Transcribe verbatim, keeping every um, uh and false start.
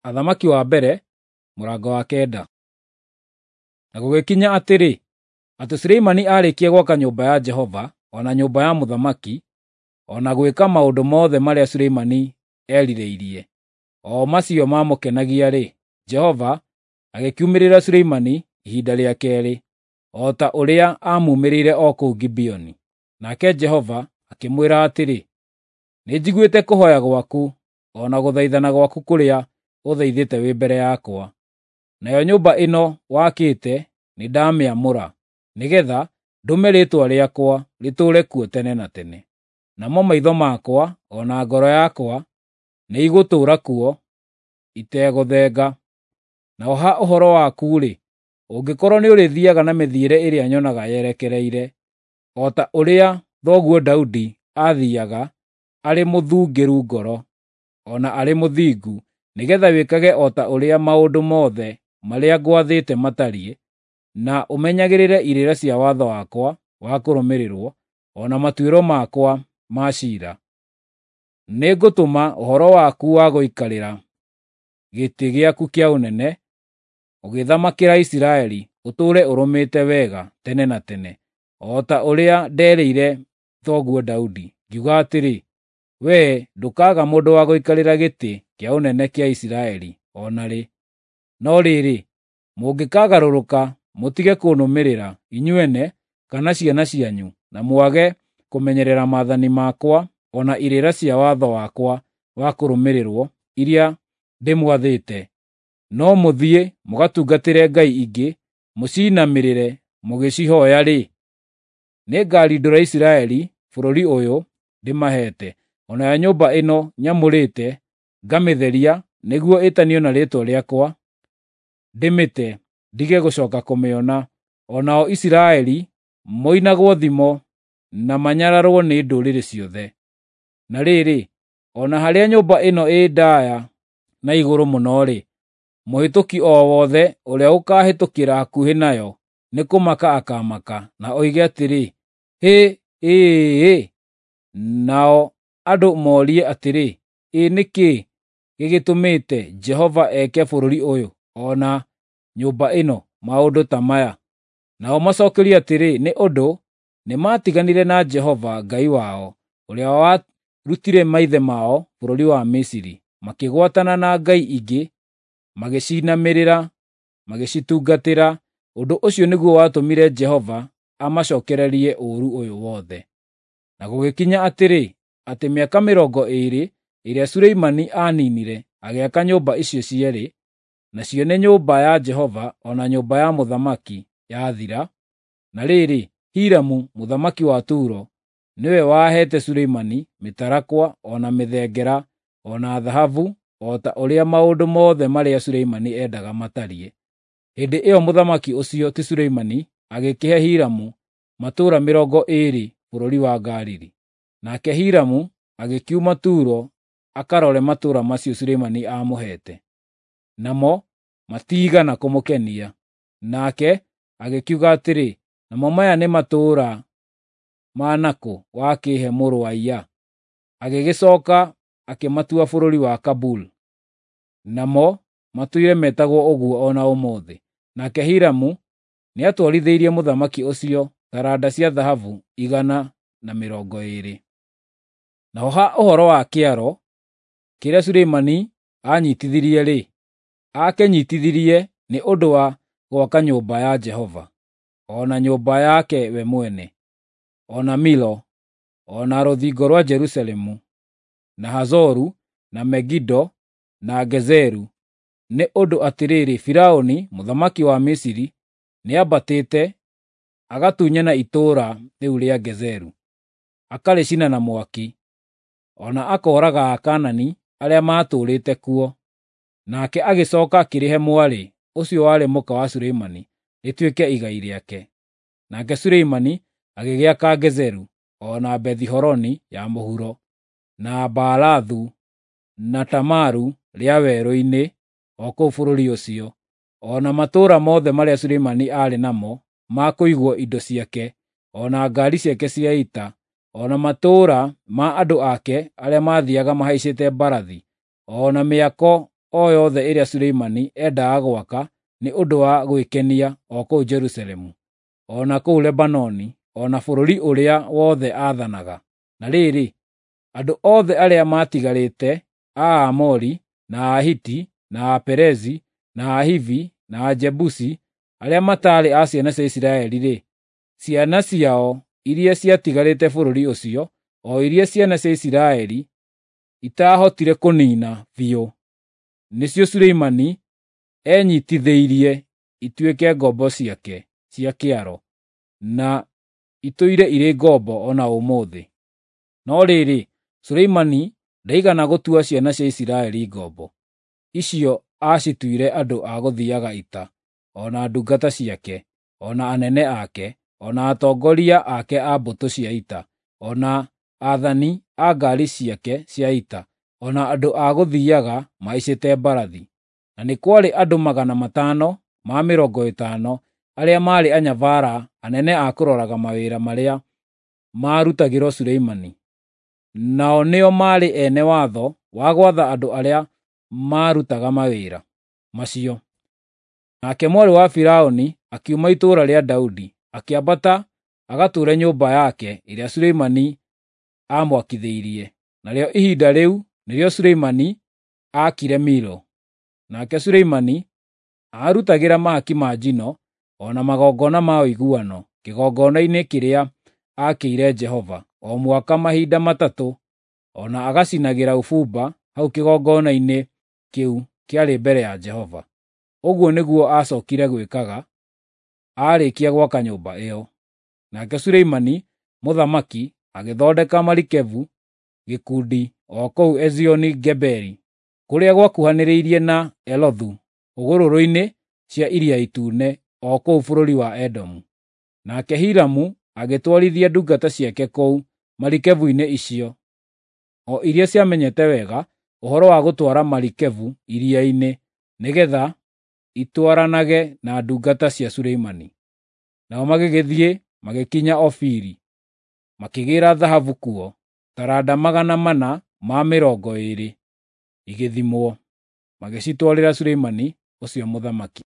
Athamaki wa mbere, mũrango wa kenda. Na gũgĩkinya atĩrĩ, atĩ Suleimani aarĩkia gwaka nyũmba ya Jehova, o na nyũmba ya mũthamaki, o na gwĩka maũndũ mothe marĩa Suleimani eerirĩirie, o macio maamũkenagia-rĩ, Jehova agĩkiumĩrĩra Suleimani ihinda rĩa keerĩ, o ta ũrĩa aamuumĩrĩire o kũu Gibeoni. Nake Jehova akĩmwĩra atĩrĩ, “Nĩnjiguĩte kũhooya gwaku, o na gũthaithana gwaku kũrĩa ũthaithĩte wĩ mbere yakwa. Nayo nyũmba ĩno wakĩte nĩndamĩamũra, nĩgeetha ndũme Rĩĩtwa rĩakwa rĩtũũre kuo tene na tene. Namo maitho makwa o na ngoro yakwa nĩigũtũũra kuo itegũthenga. Naho ha ũhoro waku-rĩ, ũngĩkorwo nĩũrĩthiiaga na mĩthiĩre ĩrĩa nyonaga yerekereire, o ta ũrĩa thoguo Daudi aathiiaga arĩ mũthungĩru ngoro, o na arĩ mũthingu, nĩgeetha wĩkage o ta ũrĩa maũndũ mothe marĩa ngwathĩte matariĩ, na ũmenyagĩrĩre irĩra cia watho wakwa wa kũrũmĩrĩrwo, o na matuĩro makwa ma ciira, nĩngũtũma ũhoro waku wa gũikarĩra gĩtĩ gĩaku kĩa ũnene ũgĩthamakĩra Isiraeli ũtũũre ũrũmĩte wega tene na tene, o ta ũrĩa nderĩire thoguo Daudi, ngiuga atĩrĩ, ‘Wee ndũkaaga mũndũ wa gũikarĩra gĩtĩ kĩa ũnene kĩa Isiraeli o na rĩ.’ No rĩrĩ, mũngĩkagarũrũka mũtige kũnũmĩrĩra, inyuene kana ciana cianyu, na mwage kũmenyerera maathani makwa o na irĩra cia watho wakwa wa kũrũmĩrĩrwo iria ndĩmwathĩte, no mũthiĩ mũgatungatĩre ngai ingĩ mũciinamĩrĩre mũgĩcihooya-rĩ, nĩngarindũra Isiraeli bũrũri ũyũ ndĩmaheete, o nayo nyũmba ĩno nyamũrĩte ngamĩtheria nĩguo ĩtanio na Rĩĩtwa rĩakwa, ndĩmĩte ndige gũcooka kũmĩona, o nao Isiraeli moinagwo thimo na manyararwo nĩ ndũrĩrĩ ciothe. Na rĩrĩ, o na harĩa nyũmba ĩno ĩ ndaaya na igũrũ mũno-rĩ, mũhĩtũki o wothe ũrĩa ũkaahĩtũkĩra hakuhĩ nayo nĩkũmaka akaamaka, na oige atĩrĩ, ‘Hĩ! Ĩ-ĩ-ĩ!’ Nao andũ morie atĩrĩ, ‘Ĩ nĩ kĩĩ gĩgĩtũmĩte Jehova eke bũrũri ũyũ, o na nyũmba ĩno maũndũ ta maya?’ Nao macookerio atĩrĩ, ‘Nĩ ũndũ nĩmatiganire na Jehova Ngai wao, ũrĩa warutire maithe mao bũrũri wa Misiri, makĩgwatana na ngai ingĩ, magĩcinamĩrĩra, magĩcitungatĩra. Ũndũ ũcio nĩguo watũmire Jehova amacookererie ũũru ũyũ wothe.’ Na gũgĩkinya atĩrĩ, atĩ mĩaka mĩrongo ĩĩrĩ ĩrĩa Suleimani aaniinire agĩaka nyũmba icio cierĩ, nacio nĩ nyũmba ya Jehova o na nyũmba ya mũthamaki, yathira, na rĩrĩ, Hiramu mũthamaki wa Turo nĩwe waheete Suleimani mĩtarakwa o na mĩthengera o na thahabu, o ta ũrĩa maũndũ mothe marĩa Suleimani endaga matariĩ. Hĩndĩ ĩyo mũthamaki ũcio, ti Suleimani, agĩkĩhe Hiramu matũũra mĩrongo ĩĩrĩ bũrũri wa Galili. Nake Hiramu agĩkiuma Turo akarore matũũra macio Suleimani aamũheete, namo matiigana kũmũkenia. Nake agĩkiuga atĩrĩ, “Namo maya nĩ matũũra ma nakũ wakĩĩhe mũrũ wa iya?” Agĩgĩcooka akĩmatua bũrũri wa Kabul, namo matũire metagwo ũguo o na ũmũthĩ. Nake Hiramu nĩatwarithĩirie mũthamaki ũcio taranda cia thahabu igana na mĩrongo ĩĩrĩ. Naho ha ũhoro wa kĩaro kĩrĩa Suleimani aanyiitithirie-rĩ, aakĩnyiitithirie nĩ ũndũ wa gwaka nyũmba ya Jehova, o na nyũmba yake we mwene, o na Milo, o na rũthingo rwa Jerusalemu, na Hazoru, na Megido, na Gezeru, nĩ ũndũ atĩrĩrĩ, Firaũni mũthamaki wa Misiri nĩambatĩte agatunyana itũũra rĩu rĩa Gezeru, akarĩcina na mwaki, o na akooraga Akaanani arĩa maatũũrĩte kuo. Nake agĩcooka akĩrĩhe mwarĩ ũcio warĩ mũka wa Suleimani rĩtuĩke igai rĩake. Nake Suleimani agĩgĩaka Gezeru, o na Bethi-Horoni ya mũhuro, na Baalathu, na Tamaru rĩa werũ-inĩ o kũu bũrũri ũcio, o na matũũra mothe marĩa Suleimani aarĩ namo ma kũigwo indo ciake, o na ngaari ciake cia ita, o na matũũra ma andũ ake arĩa maathiiaga mahaicĩte mbarathi, o na mĩako o yothe ĩrĩa Suleimani endaga gwaka nĩ ũndũ wa gwĩkenia o kũu Jerusalemu, o na kũu Lebanoni, o na bũrũri ũrĩa wothe aathanaga. Na rĩrĩ, andũ othe arĩa maatigarĩte a Aamori, na Ahiti, na Aperezi, na Ahivi, na Ajebusi, arĩa mataarĩ a ciana cia Isiraeli-rĩ, ciana ciao iria ciatigarĩte bũrũri ũcio, o iria ciana cia Isiraeli itaahotire kũniina biũ, nĩcio Suleimani enyiitithĩirie ituĩke ngombo ciake cia kĩaro, na itũire irĩ ngombo o na ũmũthĩ. No rĩrĩ, Suleimani ndaigana gũtua ciana cia Isiraeli ngombo; icio aacituire andũ a gũthiiaga ita, o na ndungata ciake, o na anene ake, o na atongoria ake a mbũtũ cia ita, o na aathani a ngaari ciake cia ita, o na andũ a gũthiiaga mahaicĩte mbarathi. Na nĩ kwarĩ andũ magana matano ma mĩrongo ĩtano arĩa maarĩ anyabara anene a kũroraga mawĩra marĩa maarutagĩrwo Suleimani. Nao nĩo maarĩ ene watho wa gwatha andũ arĩa maarutaga mawĩra macio. Nake mwarĩ wa Firaũni akiuma itũũra rĩa Daudi, akĩambata agatũũre nyũmba yake ĩrĩa Suleimani aamwakithĩirie. Narĩo ihinda rĩu nĩrĩo Suleimani aakire Milo. Nake Suleimani aarutagĩra mahaki ma njino o na magongona ma ũiguano kĩgongona-inĩ kĩrĩa aakĩire Jehova o mwaka mahinda matatũ, o na agacinagĩra ũbumba hau kĩgongona-inĩ kĩu kĩarĩ mbere ya Jehova. Ũguo nĩguo aacookire gwĩkaga aarĩkia gwaka nyũmba ĩyo. Nake Suleimani mũthamaki agĩthondeka marikebu gĩkundi o kũu Ezioni-Geberi, kũrĩa gwakuhanĩrĩirie na Elothu hũgũrũrũ-inĩ cia Iria Itune o kũu bũrũri wa Edomu. Nake Hiramu agĩtwarithia ndungata ciake kũu marikebu-inĩ icio, o iria ciamenyete wega ũhoro wa gũtwara marikebu iria-inĩ, nĩgeetha itwaranage na ndungata cia Suleimani. Nao magĩgĩthiĩ magĩkinya Ofiri, makĩgĩĩra thahabu kuo, taranda magana mana ma mĩrongo ĩĩrĩ igĩthimwo, magĩcitwarĩra Suleimani ũcio mũthamaki.